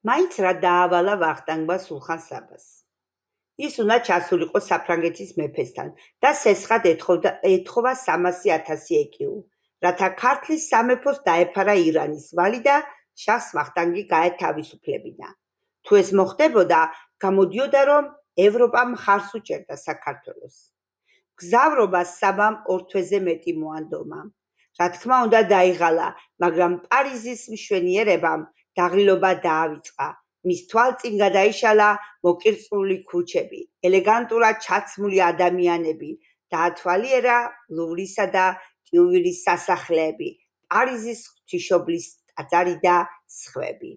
მაინც რა დაავალა ვახტანგმა სულხან საბას. ის უნდა ჩასულიყო საფრანგეთის მეფესთან და სესხად ეთხოვა 300,000 ეკიუ, რათა ქართლის სამეფოს დაეფარა ირანის ვალი და შაჰს ვახტანგი გაეთავისუფლებინა. თუ ეს მოხდებოდა, გამოდიოდა, რომ ევროპა მხარს უჭერდა საქართველოს. გზავრობა საბამ 2 თვეზე მეტი მოანდომა. რა თქმა უნდა დაიღალა, მაგრამ პარიზის მშვენიერებამ დაღლილობა დაავიწყა. მის თვალწინ გადაიშალა მოკირწყლული ქუჩები, ელეგანტურად ჩაცმული ადამიანები, დაათვალიერა ლუვრისა და ტიუილის სასახლეები, პარიზის ღვთისმშობლის ტაძარი და სხვები.